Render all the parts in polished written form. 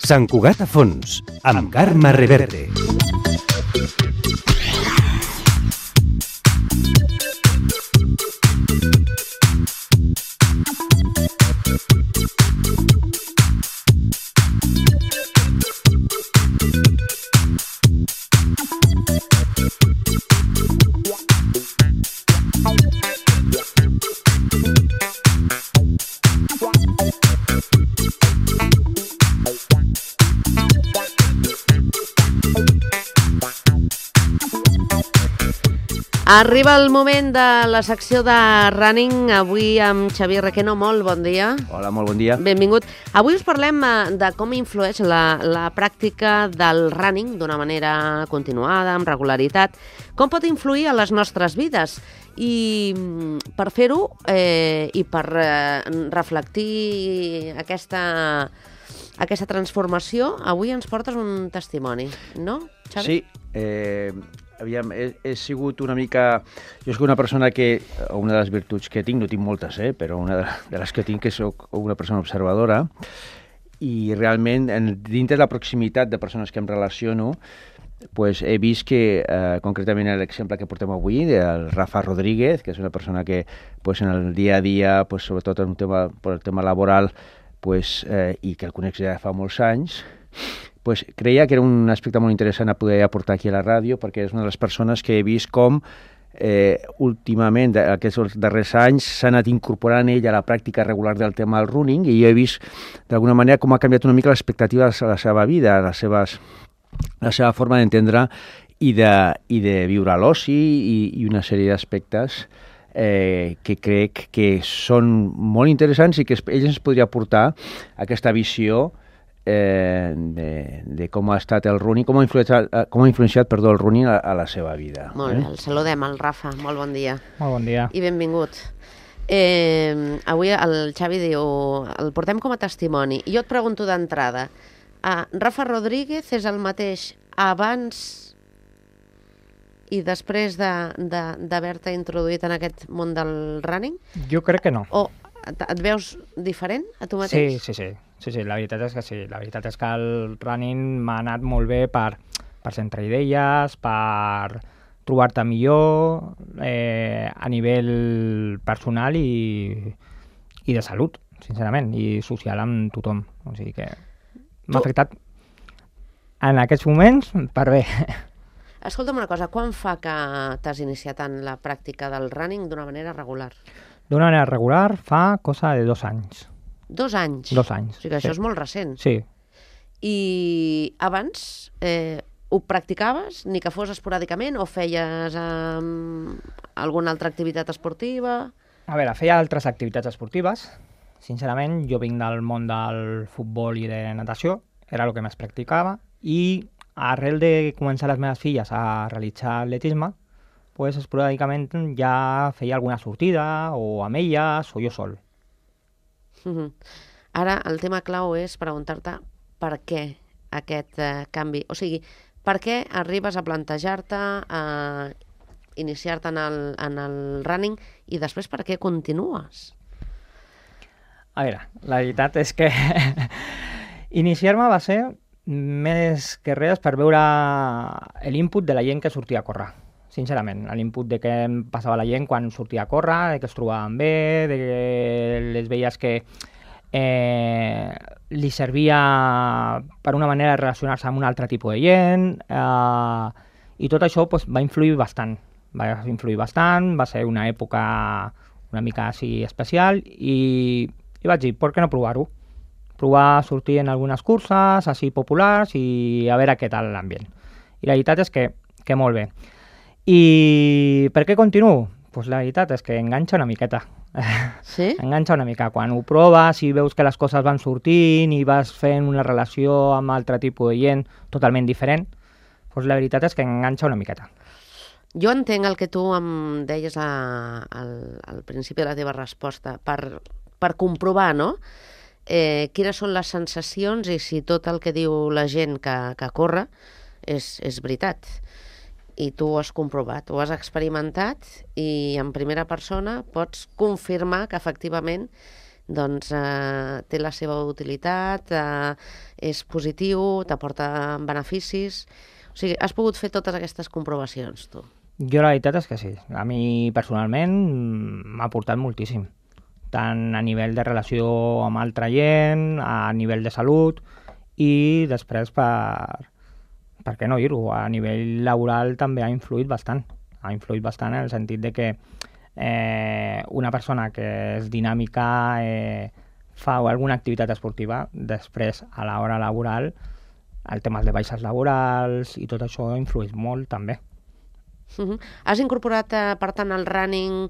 Sant Cugat a fons, amb Carme Reverte. Arriba el moment de la secció de Running, avui amb Xavier Requeno. Molt bon dia. Hola, molt bon dia. Benvingut. Avui us parlem de com influeix la pràctica del running d'una manera continuada, amb regularitat, com pot influir a les nostres vides. I per fer-ho i per reflectir aquesta transformació, avui ens portes un testimoni, no, Xavi? Sí, aviam, he sigut una mica... Jo soc una persona que, una de les virtuts que tinc, no tinc moltes, però una de les que tinc que soc una persona observadora, i realment, dintre de la proximitat de persones que em relaciono, pues, he vist que, concretament l'exemple que portem avui, del Rafa Rodríguez, que és una persona que pues, en el dia a dia, pues, sobretot en el tema laboral, pues, i que el conec ja fa molts anys, pues creia que era un aspecte molt interessant a poder aportar aquí a la ràdio, perquè és una de les persones que he vist com últimament, aquests darrers anys, s'ha anat incorporant ell a la pràctica regular del tema del running, i jo he vist d'alguna manera com ha canviat una mica l'expectativa de la seva vida, la seva forma d'entendre i de viure a l'oci i una sèrie d'aspectes que crec que són molt interessants i que ell ens podria aportar aquesta visió de com ha estat el running, com ha influenciat el running a la seva vida. Molt bé, el saludem, el Rafa, molt bon dia. Molt bon dia. I benvingut. Avui el Xavi diu, el portem com a testimoni, i jo et pregunto d'entrada, Rafa Rodríguez és el mateix abans i després d'haver-te introduït en aquest món del running? Jo crec que no. O et veus diferent a tu mateix? Sí, la veritat és que sí. La veritat és que el running m'ha anat molt bé per centrar idees, per trobar-te millor a nivell personal i de salut, sincerament, i social amb tothom. O sigui que m'ha afectat en aquests moments per bé. Escolta'm una cosa, quan fa que t'has iniciat en la pràctica del running d'una manera regular? D'una manera regular fa cosa de 2 anys. 2 anys? 2 anys. O sigui que això és molt recent. Sí. I abans ho practicaves, ni que fos esporàdicament, o feies alguna altra activitat esportiva? A veure, feia altres activitats esportives. Sincerament, jo vinc del món del futbol i de natació, era el que més practicava, i arrel de començar les meves filles a realitzar atletisme, pues esporàdicament ja feia alguna sortida, o amb elles, o jo sol. Ara, el tema clau és preguntar-te per què aquest canvi. O sigui, per què arribes a plantejar-te, a iniciar-te en el running, i després per què continues? A veure, la veritat és que iniciar-me va ser més que res per veure l'input de la gent que sortia a córrer. Sincerament, l'input de què em passava la gent quan sortia a córrer, de que es trobaven bé, de que les veies que li servia per una manera de relacionar-se amb un altre tipus de gent, i tot això va influir bastant. Va ser una època una mica així especial, i vaig dir, per què no provar-ho? Provar a sortir en algunes curses així populars i a veure què tal l'ambient. I la veritat és que molt bé. I per què continuo? Pues la veritat és que enganxa una miqueta. Sí? Enganxa una mica. Quan ho proves i veus que les coses van sortint i vas fent una relació amb altre tipus de gent totalment diferent, pues la veritat és que enganxa una miqueta. Jo entenc el que tu em deies al principi de la teva resposta, per comprovar, no?, quines són les sensacions i si tot el que diu la gent que corre és veritat. I tu ho has comprovat, ho has experimentat i en primera persona pots confirmar que efectivament doncs té la seva utilitat, és positiu, t'aporta beneficis... O sigui, has pogut fer totes aquestes comprovacions, tu? Jo la veritat és que sí. A mi personalment m'ha aportat moltíssim. Tant a nivell de relació amb altra gent, a nivell de salut i després per què no dir-ho, a nivell laboral també ha influït bastant. Ha influït bastant en el sentit de que una persona que és dinàmica, fa alguna activitat esportiva, després a l'hora laboral el tema de baixes laborals i tot això influeix molt també. Has incorporat, per tant, el running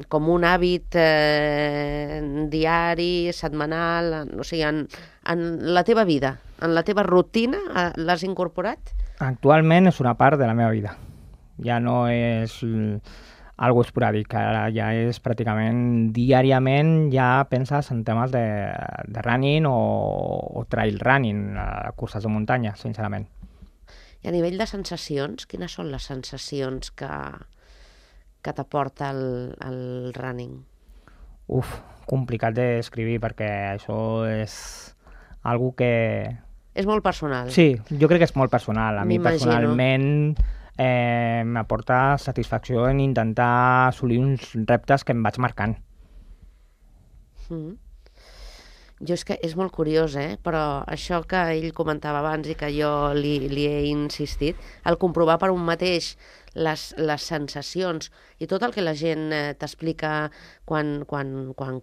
com un hàbit diari, setmanal, o sigui, en la teva vida, en la teva rutina, l'has incorporat? Actualment és una part de la meva vida. Ja no és algo esporàdic, ara ja és pràcticament diàriament, ja penses en temes de running o trail running, curses de muntanya, sincerament. I a nivell de sensacions, quines són les sensacions que t'aporta el running? Complicat d'escriure perquè això és algo que... És molt personal. Sí, jo crec que és molt personal. A mi personalment m'aporta satisfacció en intentar assolir uns reptes que em vaig marcant. Jo és que és molt curiós, però això que ell comentava abans i que jo li he insistit, el comprovar per un mateix les sensacions i tot el que la gent t'explica quan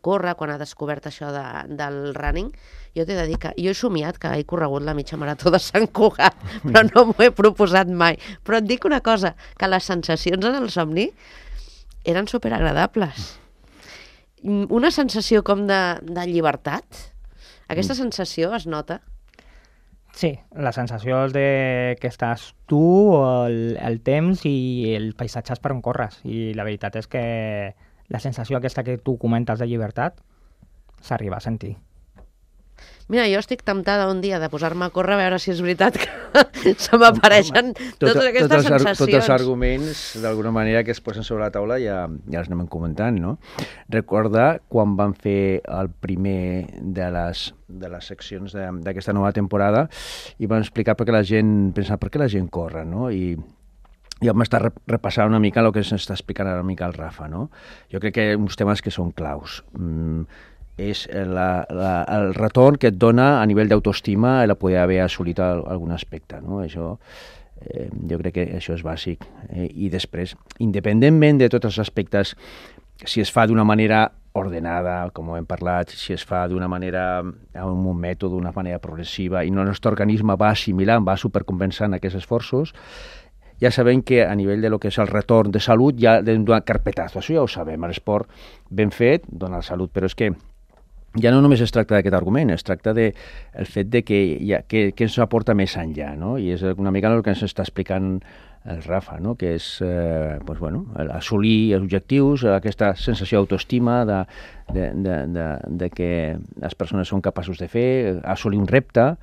corre, quan ha descobert això del running, jo t'he de dir que jo he somiat que he corregut la mitja marató de Sant Cugat, però no m'ho he proposat mai. Però et dic una cosa, que les sensacions en el somni eren superagradables. Una sensació com de llibertat. Aquesta sensació es nota? Sí, la sensació és que estàs tu, el temps i el paisatge per on corres. I la veritat és que la sensació aquesta que tu comentes de llibertat s'arriba a sentir. Mira, jo estic temptada un dia de posar-me a córrer a veure si és veritat que se m'apareixen totes aquestes sensacions. Tots els arguments, d'alguna manera, que es posen sobre la taula ja els anem comentant, no? Recorda quan vam fer el primer de les seccions d'aquesta nova temporada i vam explicar per què la gent corre, no? I vam estar repassant una mica el que s'està explicant ara una mica el Rafa, no? Jo crec que uns temes que són claus. És el retorn que et dona a nivell d'autoestima el poder haver assolit algun aspecte, no? Això, jo crec que això és bàsic. I després, independentment de tots els aspectes, si es fa d'una manera ordenada, com hem parlat, si es fa d'una manera, amb un mètode, d'una manera progressiva, i el nostre organisme va assimilant, va supercompensant aquests esforços, ja sabem que a nivell de lo que és el retorn de salut ja hem donat carpetazo, això ja ho sabem, l'esport ben fet dona salut, però és que ja no només es tracta d'aquest argument, es tracta del fet de que ens aporta més enllà, no? I és una mica el que ens està explicant el Rafa, no? Que és assolir els objectius, aquesta sensació d'autoestima, de que les persones són capaços de fer, assolir un repte,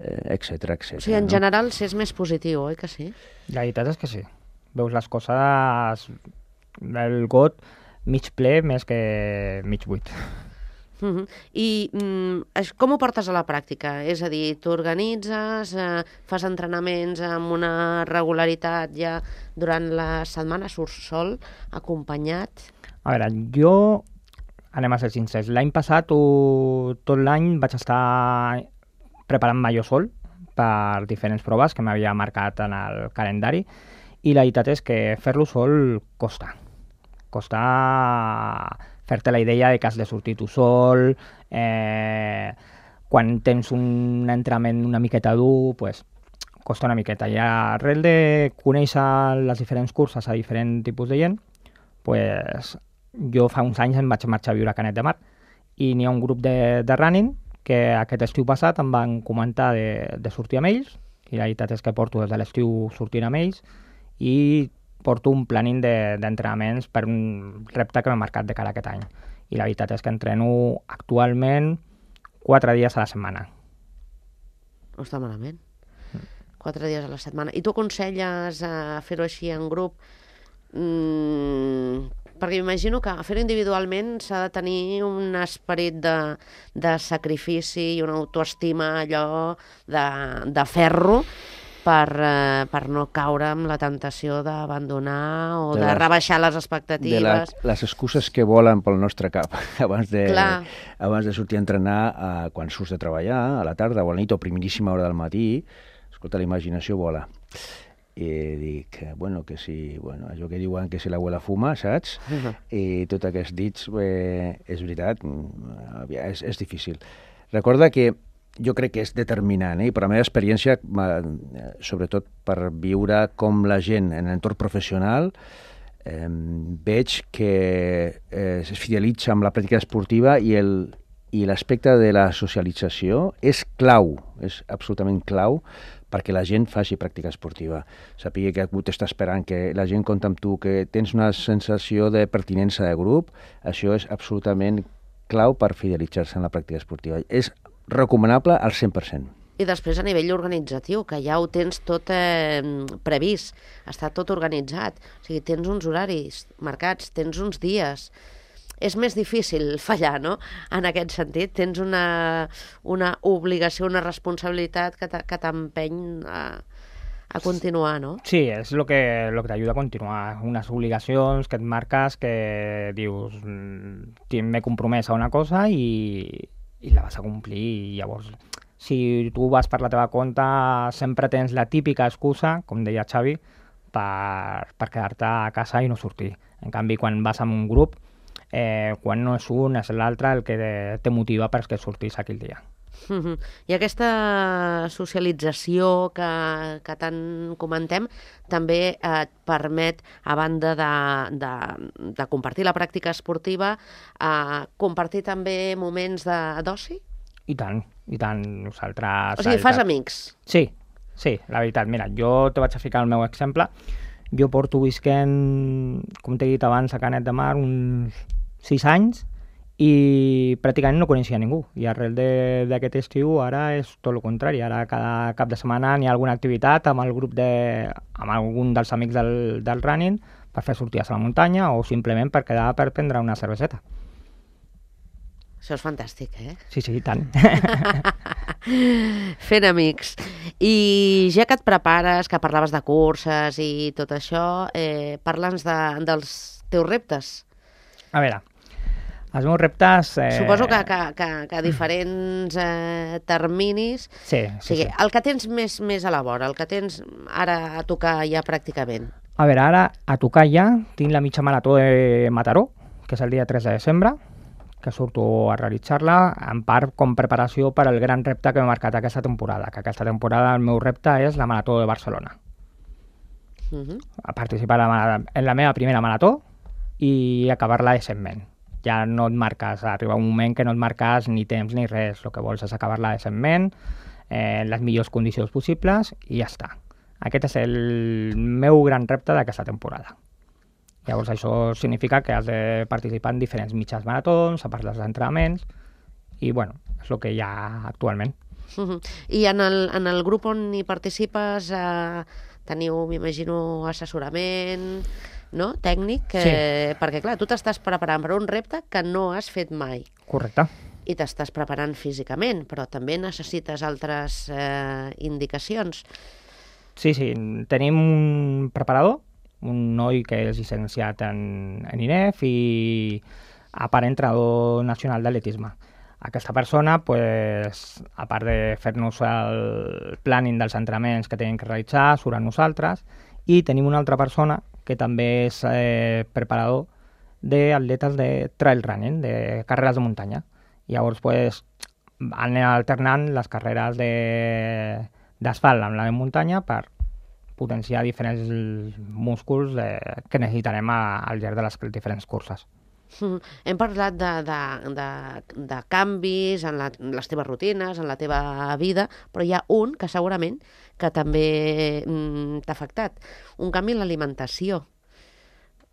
etc. O sigui, en general, s'és més positiu, oi que sí? La veritat és que sí. Veus les coses, el got mig ple més que mig buit. I com ho portes a la pràctica? És a dir, tu organitzes, fas entrenaments amb una regularitat ja durant la setmana, surts sol, acompanyat? A veure, jo, anem a ser sincers, l'any passat tot l'any vaig estar preparant-me jo sol per diferents proves que m'havia marcat en el calendari i la veritat és que fer-lo sol costa. Costa fer-te la idea de que has de sortir tu sol, quan tens un entrenament una miqueta dur, pues, costa una miqueta. I arrel de conèixer les diferents curses a diferents tipus de gent, pues, jo fa uns anys em vaig marxar a viure a Canet de Mar i n'hi ha un grup de running que aquest estiu passat em van comentar de sortir amb ells i la veritat és que porto des de l'estiu sortint amb ells i porto un planning d'entrenaments per un repte que m'he marcat de cara a aquest any. I la veritat és que entreno actualment 4 dies a la setmana. No està malament. 4 dies a la setmana. I tu aconselles fer-ho així en grup perquè m'imagino que fer-ho individualment s'ha de tenir un esperit de sacrifici i una autoestima allò de ferro per no caure amb la tentació d'abandonar o de rebaixar les expectatives. De les excuses que volen pel nostre cap abans de sortir a entrenar quan surts de treballar, a la tarda o a la nit o a primeríssima hora del matí. Escolta, la imaginació vola. I dic, que sí, allò que diuen que si l'abuela fuma, saps? I tot aquests dits, és veritat, és difícil. Recorda que jo crec que és determinant, i per la meva experiència, sobretot per viure com la gent en l'entorn professional, veig que es fidelitza amb la pràctica esportiva i l'aspecte de la socialització és clau, és absolutament clau perquè la gent faci pràctica esportiva. Sàpiga que algú t'està esperant, que la gent compta amb tu, que tens una sensació de pertinença de grup, això és absolutament clau per fidelitzar-se en la pràctica esportiva. És recomanable al 100%. I després a nivell organitzatiu, que ja ho tens tot previst, està tot organitzat. O sigui, tens uns horaris marcats, tens uns dies. És més difícil fallar, no?, en aquest sentit. Tens una obligació, una responsabilitat que t'empeny a continuar, no? Sí, és el que t'ajuda a continuar. Unes obligacions que et marques, que dius, m'he compromès a una cosa i la vas a complir. I llavors, si tu vas per la teva compte, sempre tens la típica excusa, com deia Xavi, per quedar-te a casa i no sortir. En canvi, quan vas amb un grup, quan no és un, és l'altre el que te motiva perquè sortís aquell dia. I aquesta socialització que tant comentem també et permet, a banda de compartir la pràctica esportiva, compartir també moments d'oci? I tant. Nosaltres... O sigui, fas amics? Sí, la veritat. Mira, jo te vaig a ficar el meu exemple. Jo porto visquent, com t'he dit abans, a Canet de Mar uns 6 anys i pràcticament no coneixia ningú. I arrel d'aquest estiu ara és tot el contrari. Ara cada cap de setmana hi ha alguna activitat amb el grup amb algun dels amics del running per fer sortides a la muntanya o simplement per quedar per prendre una cerveseta. Això és fantàstic, eh? Sí, i tant. Fent amics. I ja que et prepares, que parlaves de curses i tot això, parla'ns dels teus reptes. A veure, els meus reptes... Suposo que a diferents terminis... Sí. El que tens més a la vora, el que tens ara a tocar ja pràcticament. A veure, ara a tocar ja tinc la mitja marató de Mataró, que és el dia 3 de desembre, que surto a realitzar-la, en part com preparació per al gran repte que m'he marcat aquesta temporada, que aquesta temporada el meu repte és la Marató de Barcelona. A participar en la meva primera marató i acabar-la decentment. Ja no et marques, arriba un moment que no et marques ni temps ni res, el que vols és acabar-la decentment, en les millors condicions possibles i ja està. Aquest és el meu gran repte d'aquesta temporada. Llavors això significa que has de participar en diferents mitjans maratons, a part dels entrenaments, i bueno, és el que hi ha actualment. I en el grup on hi participes teniu, m'imagino, assessorament, no?, tècnic, Sí. Perquè clar, tu t'estàs preparant per un repte que no has fet mai. Correcte. I t'estàs preparant físicament, però també necessites altres indicacions. Sí, tenim un preparador, un noi que és llicenciat en INEF i a part entrenador nacional d'atletisme. Aquesta persona, pues, a part de fer-nos el planning dels entrenaments que tenim que realitzar, surt amb nosaltres, i tenim una altra persona que també és preparador d'atletes de trail running, de carreres de muntanya. Llavors, pues, anem alternant les carreres d'asfalt amb la de muntanya per potenciar diferents músculs que necessitarem al llarg de les diferents curses. Hem parlat de canvis en les teves rutines, en la teva vida, però hi ha un que segurament que també t'ha afectat. Un canvi en l'alimentació,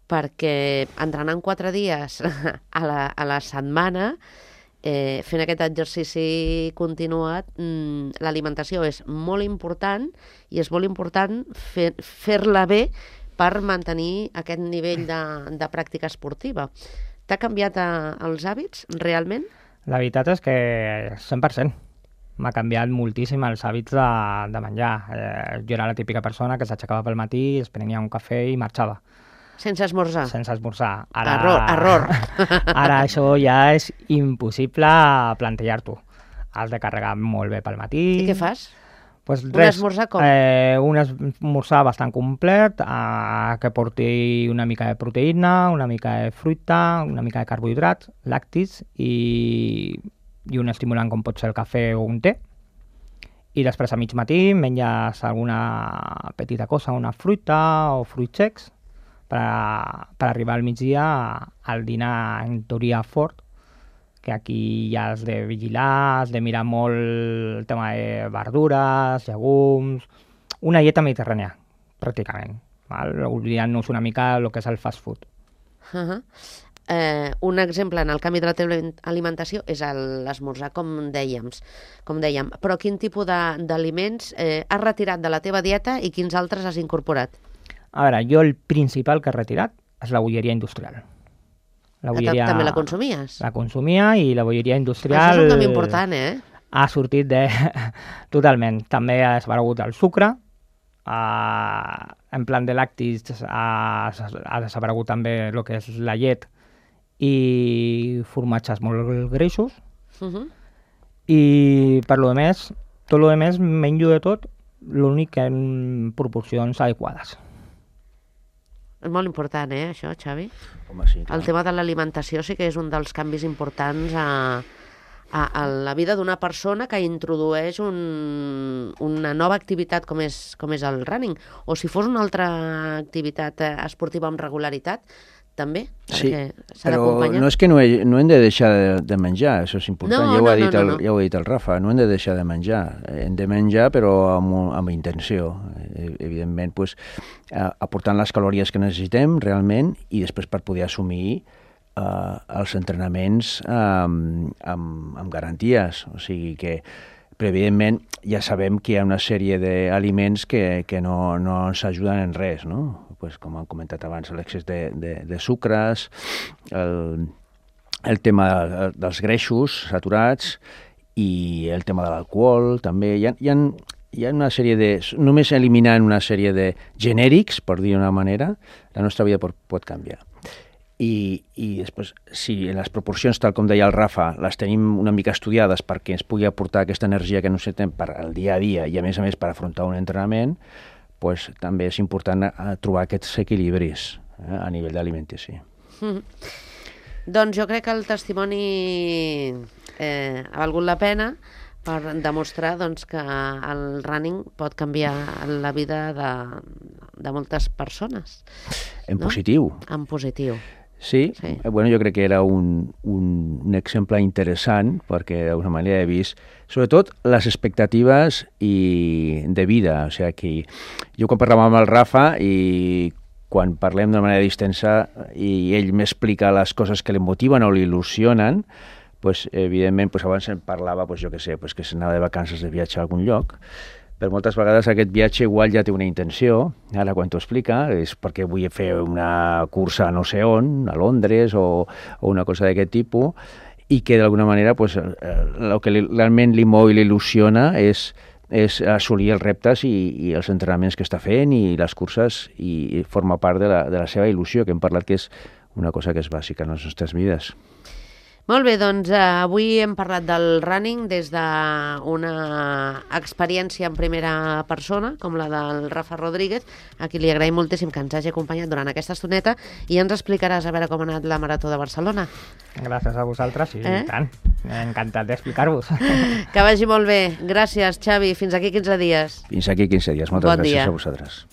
perquè entrenant 4 dies a la setmana, fent aquest exercici continuat, l'alimentació és molt important i és molt important fer-la bé per mantenir aquest nivell de pràctica esportiva. T'ha canviat els hàbits, realment? La veritat és que 100%. M'ha canviat moltíssim els hàbits de menjar. Jo era la típica persona que s'aixecava pel matí, es prenia un cafè i marxava. Sense esmorzar? Sense esmorzar. Error. Ara això ja és impossible plantejar-t'ho. Has de carregar molt bé pel matí. I què fas? Pues un res, esmorzar com? Un esmorzar bastant complet, que porti una mica de proteïna, una mica de fruita, una mica de carbohidrats, lactis i un estimulant com pot ser el cafè o un té. I després a mig matí menges alguna petita cosa, una fruita o fruits secs per arribar al migdia al dinar en teoria fort, que aquí ja has de vigilar, has de mirar molt el tema de verdures, llegums, una dieta mediterrània, pràcticament, oblidant-nos una mica el que és el fast food. Un exemple en el canvi de la teva alimentació és l'esmorzar, com dèiem. Però quin tipus d'aliments has retirat de la teva dieta i quins altres has incorporat? A veure, jo el principal que he retirat és la bolleria industrial. També la consumies? La consumia i la bolleria industrial... Això és un canvi important, Ha sortit totalment. També ha desaparegut el sucre, en plan de làctics ha desaparegut també el que és la llet i formatges molt greixos. I per lo de més, tot el més menjo de tot, l'únic que en proporcions adequades. És molt important, això, Xavi? Home, sí, clar. El tema de l'alimentació sí que és un dels canvis importants a la vida d'una persona que introdueix una nova activitat com és el running. O si fos una altra activitat esportiva amb regularitat, també, sí, s'ha d'acompanyar. Però no és que no hem de deixar de menjar, això és important, ja ho ha dit el Rafa, no hem de deixar de menjar, hem de menjar però amb intenció, evidentment, pues, aportant les calories que necessitem realment i després per poder assumir els entrenaments amb garanties, o sigui que però evidentment ja sabem que hi ha una sèrie d'aliments que no ens ajuden en res, no? Pues, com han comentat abans, l'excés de sucres, el tema dels greixos saturats i el tema de l'alcohol també. Hi ha una sèrie de... Només eliminant una sèrie de genèrics, per dir d'una manera, la nostra vida pot canviar. I després, si en les proporcions, tal com deia el Rafa, les tenim una mica estudiades perquè ens pugui aportar aquesta energia que necessitem per al dia a dia i, a més, per afrontar un entrenament, pues, també és important trobar aquests equilibris a nivell d'alimentació. Doncs jo crec que el testimoni ha valgut la pena per demostrar que el running pot canviar la vida de moltes persones. En positiu. En positiu. Sí, bueno, jo crec que era un exemple interessant perquè d'alguna manera he vist sobretot les expectatives de vida, o sigui que jo quan parlàvem amb el Rafa i quan parlem d'una manera distensa i ell m'explica les coses que l'emotiven o l'il·lusionen, pues, evidentment pues, abans em parlava pues, jo que sé, pues, que s'anava de vacances de viatge a algun lloc, però moltes vegades aquest viatge igual ja té una intenció, ara quan t'ho explica, és perquè vull fer una cursa no sé on, a Londres o una cosa d'aquest tipus, i que d'alguna manera pues, el que realment li mou i l'il·lusiona és assolir els reptes i els entrenaments que està fent i les curses i forma part de la seva il·lusió, que hem parlat que és una cosa que és bàsica en les nostres vides. Molt bé, doncs avui hem parlat del running des d'una experiència en primera persona, com la del Rafa Rodríguez, a qui li agraïm moltíssim que ens hagi acompanyat durant aquesta estoneta i ens explicaràs a veure com ha anat la Marató de Barcelona. Gràcies a vosaltres, i tant. Encantat d'explicar-vos. Que vagi molt bé. Gràcies, Xavi. Fins aquí 15 dies. Fins aquí 15 dies. Moltes gràcies a vosaltres.